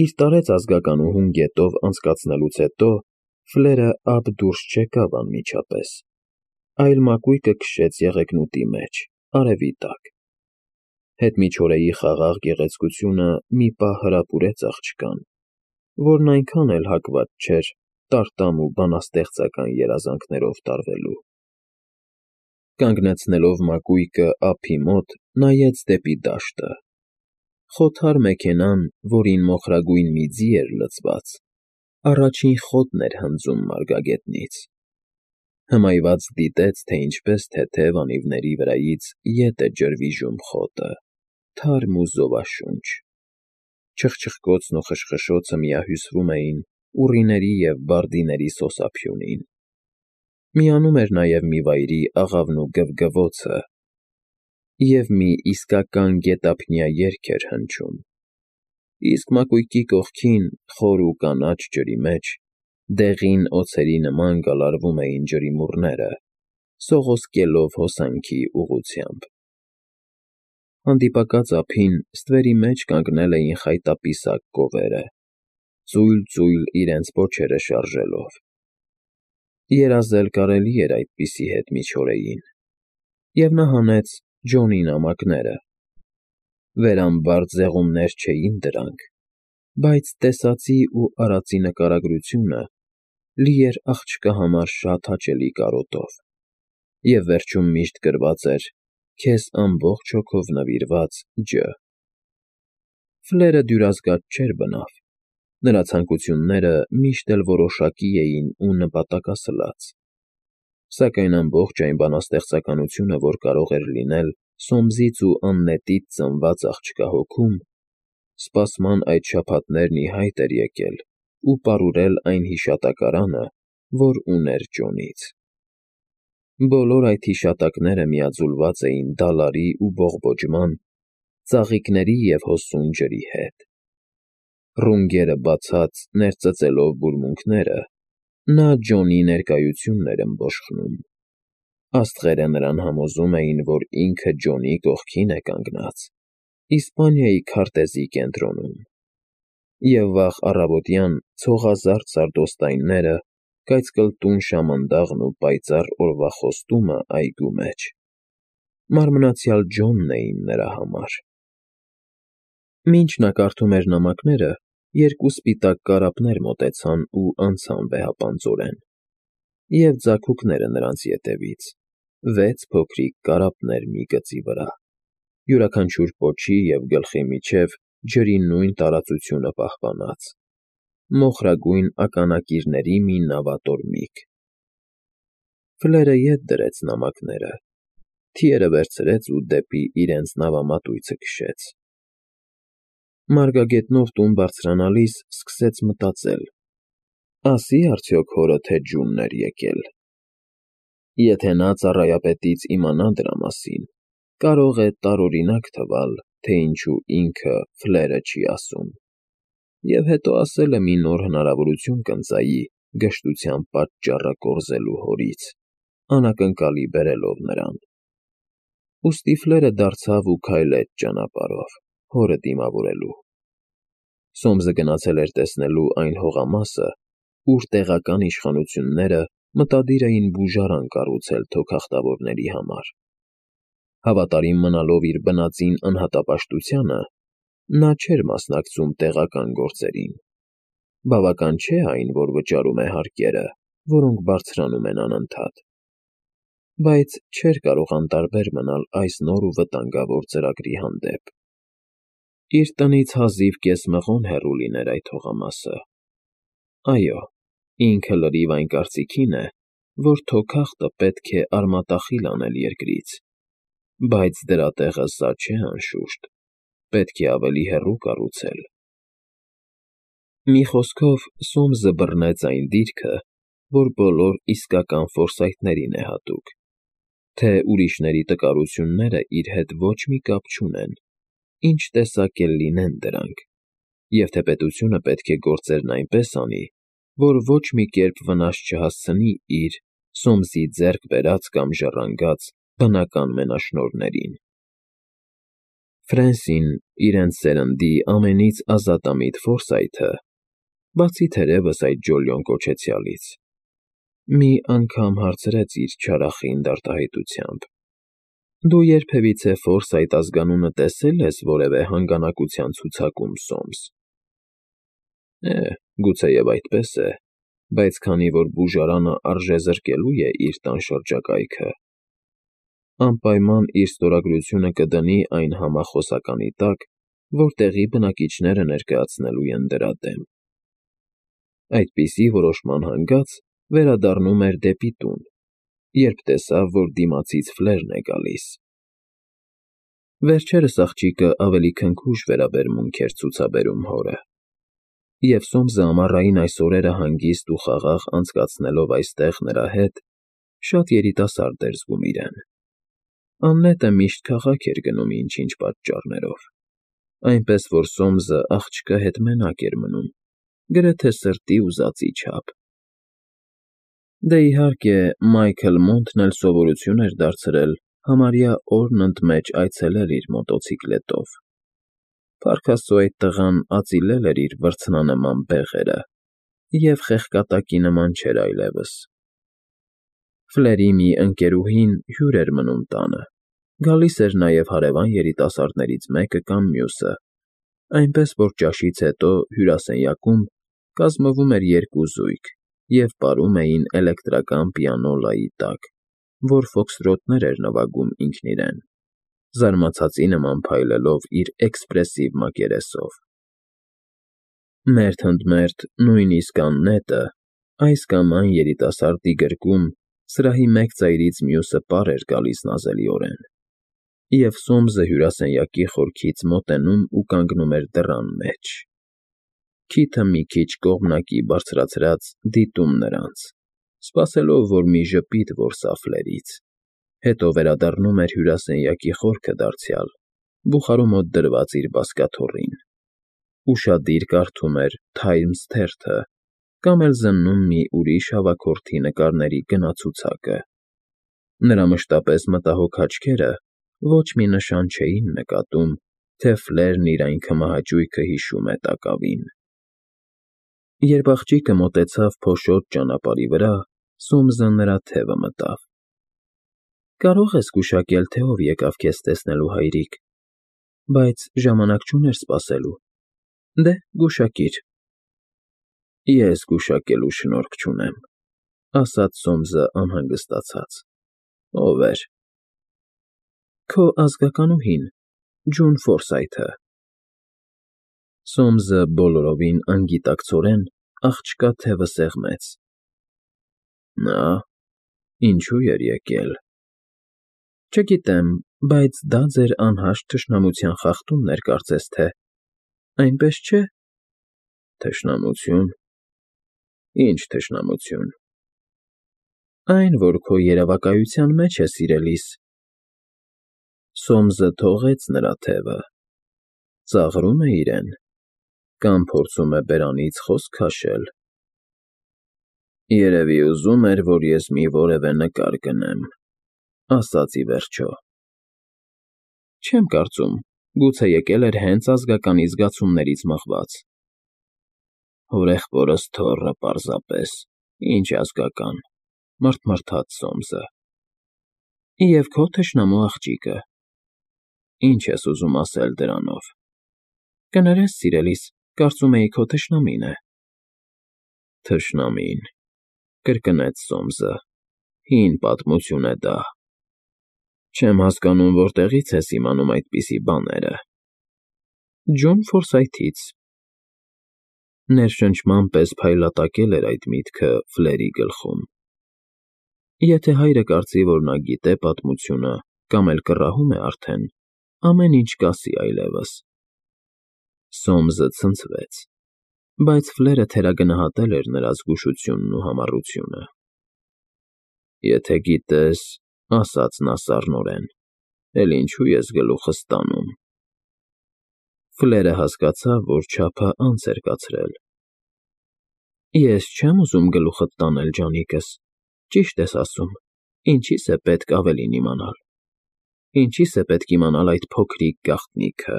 Իր տարեց ազգականուհուն գետով անցկացնելուց հետո Ֆլերը ափ դուրս չեկավ անմիջապես, այլ մակույկը քշեց եղեգնուտի մեջ, արևի տակ. հետմիջօրեի խաղաղ գեղեցկությունը մի պահ հրապուրեց աղջկան, որն այնքան էլ հակված չէր տարտամ ու բանաստեղծական երազանքներով տարվելու։ Կանգնեցնելով մակույկը ափի մոտ, նայեց դեպի դաշտը. խոթար մեքենան, որին մոխրագույն մի ձի էր լցված, առաջին խոտն էր հնձում մարգագետնից։ Հմայված դիտեց, թե ինչպես թեթև անիվների վրայից ետ է ջրվիժում խոտը, թարմ ու զովաշունչ. չխչխկոցն ու խշխշոցը միահյուսվում էին ուռիների և բարդիների սոսափյունին։ Միանում էր նաև մի վայրի աղավն ու գվգվոցը, և մի իսկական գետափնյա երգ էր հնչում, իսկ մակույկի կողքին, խոր ու կանաչ ջրի մեջ, դեղին օձերի նման գալարվում էին ջրիմուռները, սողոսկելով հոսանքի ուղղությամբ։ Հանդիպակաց ափին, ստվերի մեջ կանգնել էին խայտապիսակ կովերը, ծույլ֊ծույլ իրենց պոչերը շարժելով։ Երազել կարելի էր այդպիսի հետմիջօրեին, և նա հանեց Ջոնի նամակները։ Վերամբարձ ձեղումներ չէին դրանք, բայց տեսածի ու արածի նկարագրությունը լի էր աղջկա համար շատ հաճելի կարոտով, և վերջում միշտ գրված էր «Քեզ ամբողջ հոգով նվիրված Ջ.» Ֆլերը դյուրազգաց չէր բնավ, նրա ցանկությունները միշտ էլ որոշակի էին ու նպատակասլաց, սակայն ամբողջ այն բանաստեղծականությունը, որ կարող էր լինել Սոմսից ու Աննետից ծնված աղջկա հոգում, սպասման այդ շաբաթներն ի հայտ էր եկել ու պարուրել այն հիշատակարանը, որ ուներ Ջոնից։ Բոլոր այդ հիշատակները միաձուլված էին դալարի ու բողբոջման, ծաղիկների և հոսուն ջրի հետ։ Ռունգերը բացած, ներծծելով բուրմունքները, նա Ջոնի ներկայությունն էր ըմբոշխնում։ Աստղերը նրան համոզում էին, որ ինքը Ջոնի կողքին է կանգնած, Իսպանիայի քարտեզի կենտրոնում, և վաղ առավոտյան ցողազարդ սարդոստայնները, կայծկլտուն շամանդաղն ու պայծառ օրվա խոստումը այգու մեջ մարմնացյալ Ջոնն էին նրա համար։ Մինչ նա կարդում էր նամակները, երկու սպիտակ կարապներ մոտեցան ու անցան վեհապանծորեն, և ձագուկները նրանց ետևից, 6 փոքրիկ կարապներ մի գծի վրա, յուրաքանչյուր պոչի և գլխի միջև ջրի նույն տարածությունը պահպանած, մոխրագույն ականակիրների մի նավատորմիկ։ Ֆլերը ետ դրեց նամակները, թիերը վերցրեց ու դեպի իրենց նավամատույցը քշեց։ Մարգագետնով տուն բարձրանալիս սկսեց մտածել. ասի՞ արդյոք հորը, թե Ջունն էր եկել։ Եթե նա ծառայապետից իմանա դրա մասին, կարող է տարօրինակ թվալ, թե ինչու ինքը Ֆլերը չի ասում, և հետո ասել է մի նոր հնարավորություն կընծայի գժտության պատճառը կորզելու հորից, անակնկալի բերելով նրան։ Ուստի Ֆլերը դարձավ ու քայլեց ճանապարհով, հորը դիմավորելու։ Սոմսը գնացել էր տեսնելու այն հողամասը, ուր տեղական իշխանությունները մտադիր էին բուժարան կառուցել թոքախտավորների համար։ Հավատարիմ մնալով իր բնածին անհատապաշտությանը, նա չէր մասնակցում տեղական գործերին։ Բավական չէ այն, որ վճարում է հարկերը, որոնք բարձրանում են անընդհատ, բայց չէր կարող անտարբեր մնալ այս նոր ու վտանգավոր ծրագրի հանդեպ։ Իր տնից հազիվ կես մղոն հեռու լիներ այդ հողամասը։ Այո, ինքը լրիվ այն կարծիքին է, որ թոքախտը պետք է արմատախիլ անել երկրից, բայց դրա տեղը սա չէ անշուշտ, պետք է ավելի հեռու կառուցել։ Մի խոսքով, Սոմսը բռնեց այն դիրքը, որ բոլոր իսկական ֆորսայթներին է հատուկ, թե ուրիշների տկարությունները իր հետ ոչ մի կապ չունեն, ինչ տեսակ էլ լինեն դրանք, և թե պետությունը պետք է գործերն այնպես անի, որ ոչ մի կերպ վնաս չհասցնի իր՝ Սոմսի ձեռք բերած կամ ժառանգած բնական մենաշնորհներին։ Ֆրենսին, իրենց սերնդի ամենից ազատամիտ Ֆորսայթը, բացի թերևս այդ Ջոլիոն կոչեցյալից, մի անգամ հարցրեց իր չարախինդ արտահայտությամբ. «Դու երբևիցե Ֆորսայթ ազգանունը տեսել ես որևէ հանգանակության ցուցակում, Սոմս»։ Գուցեև այդպես է, բայց քանի որ բուժարանը արժեզրկելու է իր տան շրջակայքը, անպայման իր ստորագրությունը կդնի այն համախոսականի տակ, որ տեղի բնակիչները ներկայացնելու են դրա դեմ։ Այդպիսի որոշման հանգած վերադառնում էր դեպի տուն, երբ տեսավ, որ դիմացից Ֆլերն է գալիս։ Վերջերս աղջիկը ավելի քնքուշ վերաբերմունք էր ցուցաբերում հորը, և Սոմսը ամառային այս օրերը հանգիստ ու խաղաղ անցկացնելով այստեղ նրա հետ, շատ երիտասարդ էր զգում իրեն։ Աննետը միշտ քաղաք էր գնում ինչ-ինչ պատճառներով, այնպես որ Սոմսը աղջկա հետ մենակ էր մնում, գրեթե սրտի ուզածի չափ։ Դե իհարկե, Մայքլ Մոնթն էլ սովորություն էր դարձրել համարյա օրն ընդմեջ այցելել իր մոտոցիկլետով։ Փառք Աստծո, այդ տղան ածիլել էր իր վրձնանման բեղերը և խեղկատակի նման չէր այլևս։ Ֆլերի մի ընկերուհին հյուր էր մնում տանը, գալիս էր նաև հարևան երիտասարդներից մեկը կամ մյուսը, այնպես որ ճաշից հետո հյուրասենյակում կազմվում էր երկու զույգ և պարում էին էլեկտրական պիանոլայի տակ, որ ֆոքսթրոթներ էր նվագում ինքն իրեն, զարմացածի նման փայլելով իր էքսպրեսիվ մակերեսով։ Մերթ ընդ մերթ նույնիսկ Աննետը, այս կամ այն երիտասարդի գրկում, սրահի մեկ ծայրից մյուսը պար էր գալիս նազելիորեն, և Սոմսը հյուրասենյակի խորքից մոտենում ու կանգնում էր դռան մեջ, քիթը մի քիչ կողմնակի բարձրացրած դիտում նրանց, սպասելով, որ մի ժպիտ որսա Ֆլերից, հետո վերադառնում էր հյուրասենյակի խորքը դարձյալ, բուխարու մոտ դրված իր բազկաթոռին, ուշադիր կարդում էր Times թերթը կամ էլ զննում մի ուրիշ հավաքորդի նկարների գնացուցակը։ Նրա մշտապես մտահոգ աչքերը ոչ մի նշան չէին նկատում, թե Ֆլերն իր այն քմահաճույքը հիշում է տակավին։ Երբ աղջիկը մոտեցավ փոշոտ ճանապարհի վրա, Սոմսը նրա թևը մտավ։ Կարող ես գուշակել, թե ով եկավ քեզ տեսնելու, հայրիկ, բայց ժամանակ չուներ սպասելու։ Դե, գուշակիր։ Ես գուշակելու շնորք չունեմ, ասաց Սոմսը անհանգստացած։ Ով էր։ Քո ազգականուհին, Ջուն Ֆորսայթը։ Սոմսը բոլորովին անգիտակցորեն աղջկա թևը սեղմեց։ Նա ինչու էր եկել։ Չգիտեմ, բայց դա ձեր անհաշտ թշնամության խախտումն էր, կարծես թե, այնպես չէ։ Թշնամություն։ Ինչ թշնամություն։ Այն, որ քո երևակայության մեջ է, սիրելիս։ Սոմսը թողեց նրա թևը։ Ծաղրում է իրեն, կամ փորձում է բերանից խոսք քաշել։ Երևի ուզում էր, որ ես մի որևէ նկար գնեմ, ասաց ի վերջո։ Չեմ կարծում, գուցե եկել էր հենց ազգականի զգացումներից մղված։ Հորեղբորս թոռը պարզապես, ինչ ազգական, մռթմռթաց Սոմսը։ Եվ քո թշնամու աղջիկը։ Ինչ ես ուզում ասել դրանով։ Կներես, սիրելիս, կարծում էի քո թշնամին է։ Թշնամին, կրկնեց Սոմսը, հին պատմություն է դա։ Չեմ հասկանում, որտեղից ես իմանում այդպիսի բաները։ Ջոն Ֆորսայթից։ Ներշնչման պես փայլատակել էր այդ միտքը Ֆլերի գլխում։ Եթե հայրը կարծի, որ նա գիտե պատմությունը կամ էլ կռահում է արդեն, ամեն ինչ կասի այլևս։ Սոմսը ցնցվեց, բայց Ֆլերը թերագնահատել էր նրա զգուշությունն ու համառությունը։ Եթե գիտես, ասաց նա սառնորեն, էլ ինչու ես գլուխս տանում։ Ֆլերը հասկացավ, որ չափը անց էր կացրել։ Ես չեմ ուզում գլուխդ տանել, ջանիկս, ճիշտ ես ասում, ինչի՞ս է պետք ավելին իմանալ։ Ինչի՞ս է պետք իմանալ այդ փոքրիկ գաղտնիքը։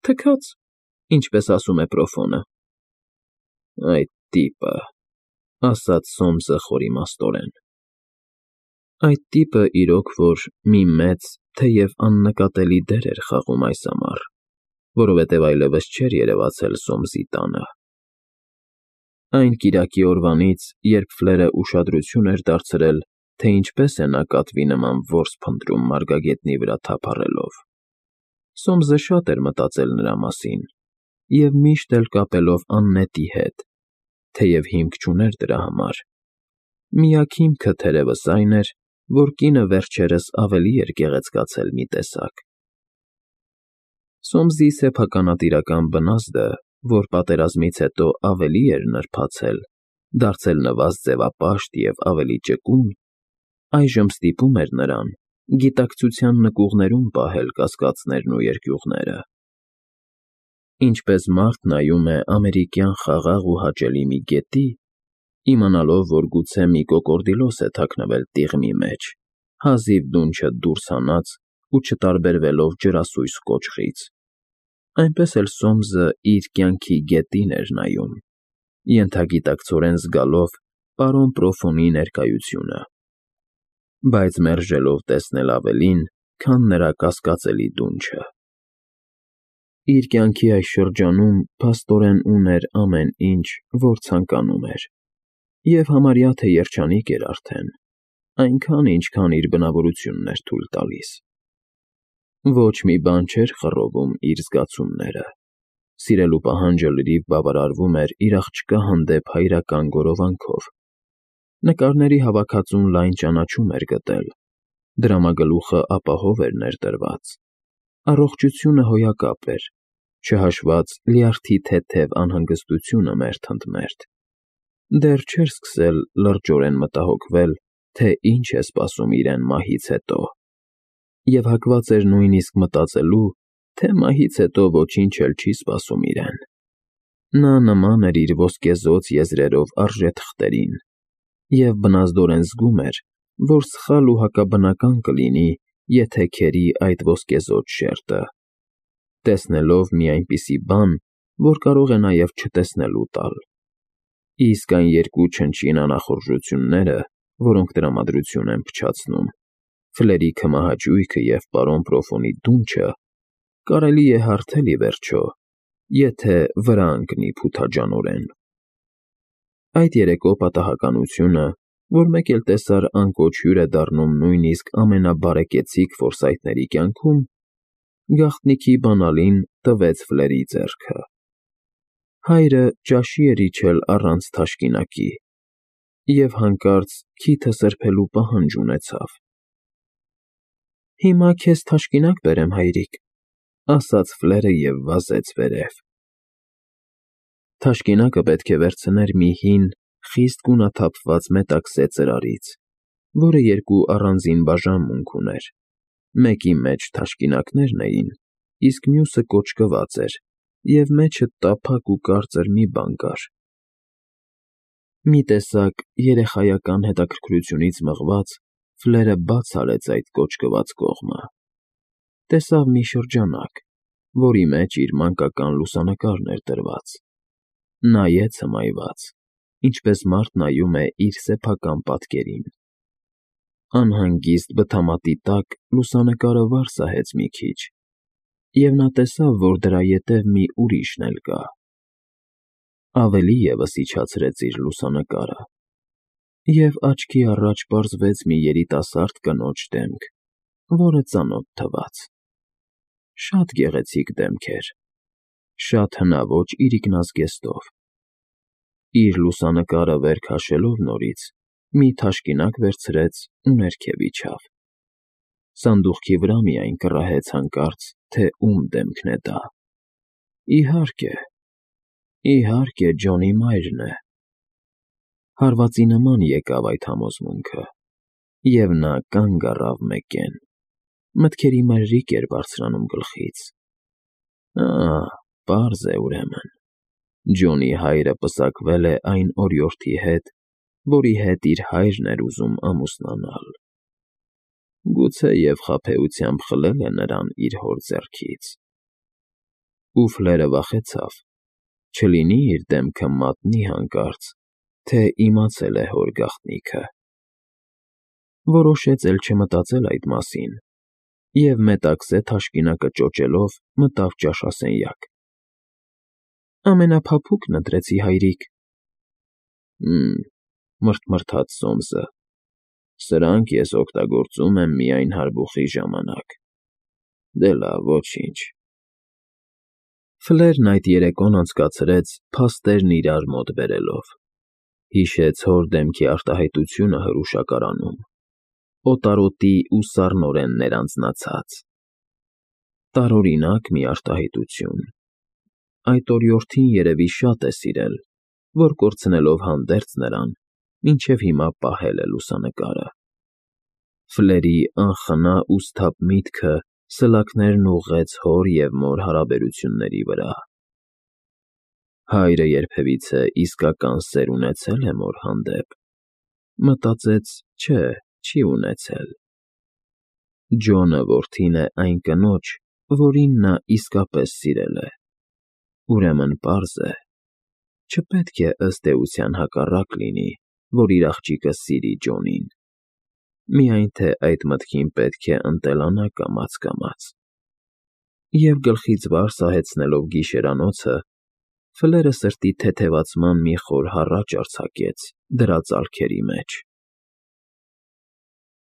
Թքած, ինչպես ասում է Պրոֆոնը։ Այդ տիպը, ասաց Սոմսը խորիմաստորեն։ Այդ տիպը իրոք որ մի մեծ, թեև աննկատելի դեր էր խաղում այս ամառ, որովհետև այլևս չէր երևացել Սոմսի տանը։ Այն կիրակի օրվանից, երբ Ֆլերը ուշադրություն էր դարձրել, թե ինչպես է նա կատվի նման որս փնտրում մարգագետնի վրա թափառելով։ Սոմսը շատ էր մտածել նրա մասին և միշտ էլ կապելով Աննետի հետ, թեև հիմք չուներ դրա համար։ Միակ հիմքը թերևս այն էր, որ կինը վերջերս ավելի էր գեղեցկացել մի տեսակ։ Սոմսի սեփականատիրական բնազդը, որ պատերազմից հետո ավելի էր նրբացել, դարձել նվազ ձևապաշտ և ավելի ճկուն, այժմ ստիպում էր նրան գիտակցության նկուղներում պահել կասկածներն ու երկյուղները։ Ինչպես մարդ նայում է ամերիկյան խաղաղ ու հաճելի մի գետի, իմանալով, որ գուցե մի կոկորդիլոս է թաքնվել տիղմի մեջ, հազիվ դունչը դուրս հանած ու չտարբերվելով ջրասույզ կոճղից, այնպես էլ Սոմսը իր կյանքի գետին էր նայում, ենթագիտակցորեն զգալով պարոն Պրոֆոնի ներկայությունը, բայց մերժելով տեսնել ավելին, քան նրա կասկածելի դունչը։ Իր կյանքի այս շրջանում փաստորեն ուներ ամեն ինչ, որ ցանկանում էր, և համարյա թե երջանիկ էր արդեն, այնքան, ինչքան իր բնավորությունն էր թույլ տալիս։ Ոչ մի բան չէր խռովում իր զգացումները, սիրելու պահանջը լրիվ բավարարվում էր իր աղջկա հանդեպ հայրական գորովանքով։ Նկարների հավաքածուն լայն ճանաչում էր գտել, դրամագլուխը ապահով էր ներդրված, առողջությունը հոյակապ էր, չհաշված լյարդի թեթև անհանգստությունը մերթ ընդ մերթ։ Դեռ չէր սկսել լրջորեն մտահոգվել, թե ինչ է սպասում իրեն մահից հետո, և հակված էր նույնիսկ մտածելու, թե մահից հետո ոչինչ էլ չի սպասում իրեն։ Նա նման էր իր ոսկեզօծ եզրերով արժեթղթերին և բնազդորեն զգում էր, որ սխալ ու հակաբնական կլինի, եթե քերի այդ ոսկեզօծ շերտը, տեսնելով մի այնպիսի բան, որ կարող է նաև չտեսնելու տալ։ Իսկ այն երկու չնչին անախորժությունները, որոնք տրամադրություն են փչացնում, Ֆլերի քմահաճույքը և պարոն Պրոֆոնի դունչը, կարելի է հարթել ի վերջո, եթե վրա ընկնի փութաջանորեն։ Այդ երեկո պատահականությունը, որ մեկ էլ տեսար անկոչ հյուր է դառնում նույնիսկ ամենաբարեկեցիկ ֆորսայթների կյանքում, գաղտնիքի բանալին տվեց Ֆլերի ձեռքը։ Հայրը ճաշի էր իջել առանց թաշկինակի և հանկարծ քիթը սրբելու պահանջ ունեցավ։ «Հիմա քեզ թաշկինակ բերեմ, հայրիկ», ասաց Ֆլերը և վազեց վերև։ Թաշկինակը պետք է վերցներ մի հին, խիստ գունաթափված մետաքսե ծրարից, որը երկու առանձին բաժանմունք ուներ, մեկի մեջ թաշկինակներն էին, իսկ մյուսը կոճկված էր, և մեջը տափակ ու կարծր մի բան կար։ Մի տեսակ երեխայական հետաքրքրությունից մղված, Ֆլերը բաց արեց այդ կոճկված կողմը։ Տեսավ մի շրջանակ, որի մեջ իր մանկական լուսանկարն էր դրված։ Նայեց հմայված, ինչպես մարդ նայում է իր սեփական պատկերին։ Անհանգիստ բթամատի տակ լուսանկարը վար սահեց մի քիչ, և նա տեսավ, որ դրա ետև մի ուրիշն էլ կա։ Ավելի ևս իջացրեց իր լուսանկարը, և աչքի առաջ պարզվեց մի երիտասարդ կնոջ դեմք, որը ծանոթ թվաց։ Շատ գեղեցիկ դեմք էր, շատ հնաոճ իրիկնազգեստով։ Իր լուսանկարը վեր քաշելով նորից, մի թաշկինակ վերցրեց ու ներքև իջավ։ Սանդուղքի վրա միայն կռահեց հանկարծ, թե ում դեմքն է դա։ Իհարկե, Ջոնի մայրն է։ Հարվածի նման եկավ այդ համոզմունքը, և նա կանգ առավ մեկեն, մտքերի մրրիկ էր բարձրանում գլխից։ Պարզ է ուրեմն, Ջոնի հայրը պսակվել է այն օրիորդի հետ, որի հետ իր հայրն էր ուզում ամուսնանալ։ Գուցե և խաբեությամբ խլել է նրան իր հոր ձեռքից։ Ու Ֆլերը վախեցավ, չլինի իր դեմքը մատնի հանկարծ, թե իմացել է հոր գաղտնիքը։ Որոշեց էլ չմտածել այդ մասին և մետաքսե թաշկինակը ճոճելով մտավ ճաշասենյակ։ Ամենափափուկն ընտրեցի, հայրիկ։ Մռթմռթաց Սոմսը։ Սրանք ես օգտագործում եմ միայն հարբուխի ժամանակ։ Դե լավ, ոչինչ։ Ֆլերն այդ երեկոն անցկացրեց փաստերն իրար մոտ բերելով։ Հիշեց հոր դեմքի արտահայտությունը հրուշակարանում, օտարոտի ու սառնորեն ներանձնացած։ Տարօրինակ մի արտահայտություն։ Այդ օրիորդին երևի շատ է սիրել, որ կորցնելով հանդերձ նրան, մինչև հիմա պահել է լուսանկարը։ Ֆլերի անխնա ու սթափ միտքը սլաքներն ուղղեց հոր և մոր հարաբերությունների վրա։ Հայրը երբևիցե իսկական սեր ունեցե՞լ է մոր հանդեպ։ Մտածեց՝ չէ, չի ունեցել։ Ջոնը որդին է այն կնոջ, որին նա իսկապես սիրել է։ Ուրեմն պարզ է, չպետք է ըստ էության հակառակ լինի, որ իր աղջիկը սիրի Ջոնին։ Միայն թե այդ մտքին պետք է ընտելանա կամաց։ Եվ գլխից վար սահեցնելով գիշերանոցը, Ֆլերը սրտի թեթևացման մի խոր հառաչ արձակեց դրա ծալքերի մեջ։